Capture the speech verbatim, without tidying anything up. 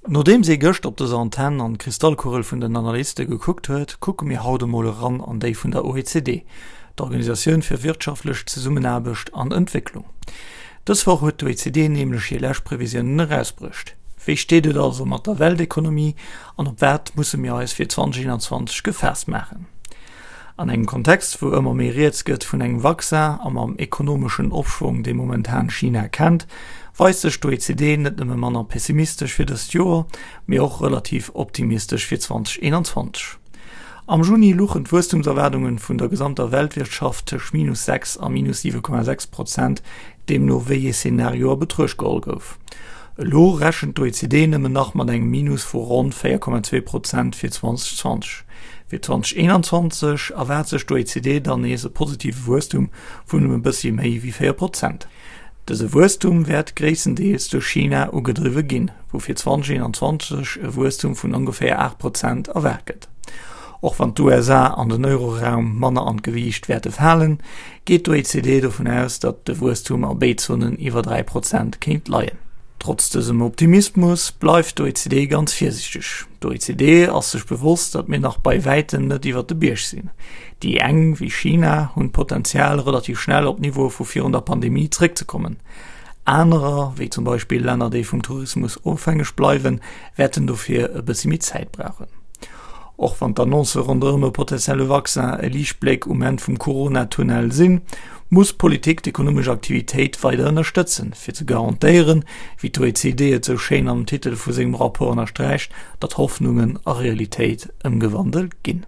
Nodeems ee gëscht op dëser Antenn an d'Kristallkugel vun den Analyste gekuckt huet, kucke mir haut emol eran an déi vun der OECD, der Organisatioun fir wirtschaftlech Zesummenaarbecht an Entwécklung. Dës Woch huet d'OECD nämlech hir lescht Previsiounen erausbruecht. Wéi steet et also mat der Weltekonomie an op wat musse mir eis fir zweedausendeenanzwanzeg gefaasst maachen? An engem Kontext, wou ëmmer méi rieds gëtt vun engem Vaccin a mam ekonomeschen Opschwong, dee momentan China kennt, weist sech d'OECD net nëmme manner pessimistesch fir dëst Joer, mee och relativ optimistesch fir zweedausendeenanzwanzeg. Am Juni luchen d'Wuesstumserwaardunge vun der gesamter Weltwirtschaft tëscht minus sechs a minus siwe Komma sechs Prozent, deemno wéi ee Szenario a Betruecht geholl gouf. Elo rechent d'OECD nëmmen nach mat engem Minus vu ronn véier Komma zwee Prozent fir zweedausendzwanzeg. Fir zweedausendeenanzwanzeg erwaart sech d'OECD dann nees e positive Wuesstum vun ëm e bëssi méi wéi véier Prozent. Dëse Wuesstum wäert gréisstendeels duerch China ugedriwwe ginn, wou fir zweedausendeenanzwanzeg e Wuesstum vun ongeféier aacht Prozent erwaart gëtt. Och wann d'USA an den Euroraum manner an d'Gewiicht wäerte falen, geet d'OECD dovun aus, datt de Wuesstum a béid Zonen iwwer dräi Prozent kéint leien. Trotz dësem Optimismus bleift d'OECD ganz virsiichteg. D'OECD ass sech bewosst, datt mir nach bei wäitem net iwwer de Bierg sinn. Déi eng, wéi China, hunn d'Potenzial, relativ schnell op d'Niveaue vu virun der Pandemie zeréckzekommen. Anerer, wéi zum Beispill Länner, déi vum Tourismus ofhängeg bleiwen, wäerten dofir e bëssi méi Zäit brauchen. Och wann d'Annoncë ronderëm e potentielle Vaccin e Liichtbléck um Enn vum Corona-Tunnel sinn, muss d'Politik d'ekonomesch Aktivitéit weider ënnerstëtzen, fir ze garantéieren, wéi d'OECD et sou schéin am Titel vu sengem Rapport ënnersträicht, datt Hoffnungen a Realitéit ëmgewandelt ginn.